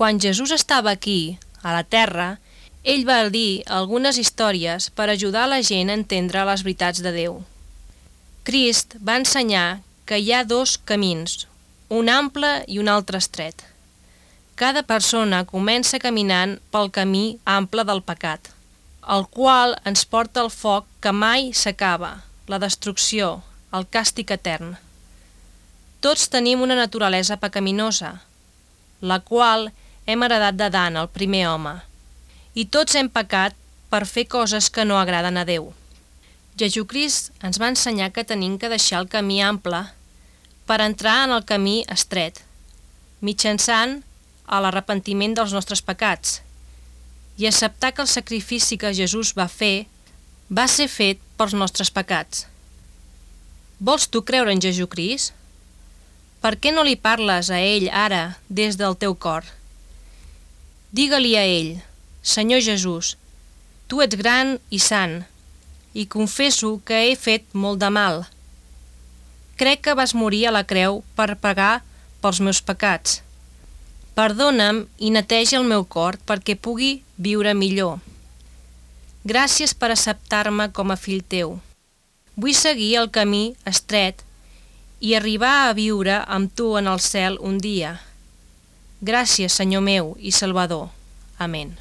Quan Jesús estava aquí, a la terra, ell va dir algunes històries per ajudar la gent a entendre les veritats de Déu. Crist va ensenyar que hi ha dos camins, un ample i un altre estret. Cada persona comença caminant pel camí ample del pecat, el qual ens porta al foc que mai s'acaba, la destrucció, el càstig etern. Tots tenim una naturalesa pecaminosa, la qual hem heredat d'Adam, el primer home, i tots hem pecat per fer coses que no agraden a Déu. Jesucrist ens va ensenyar que tenim que deixar el camí ample per entrar en el camí estret, mitjançant a l'arrepentiment dels nostres pecats i acceptar que el sacrifici que Jesús va fer va ser fet pels nostres pecats. Vols tu creure en Jesucrist? Per què no li parles a ell ara des del teu cor? Digue-li a ell: Senyor Jesús, tu ets gran i sant, i confesso que he fet molt de mal. Crec que vas morir a la creu per pagar pels meus pecats. Perdona'm i neteja el meu cor perquè pugui viure millor. Gràcies per acceptar-me com a fill teu. Vull seguir el camí estret i arribar a viure amb tu en el cel un dia. Gràcies, Senyor meu i Salvador. Amén.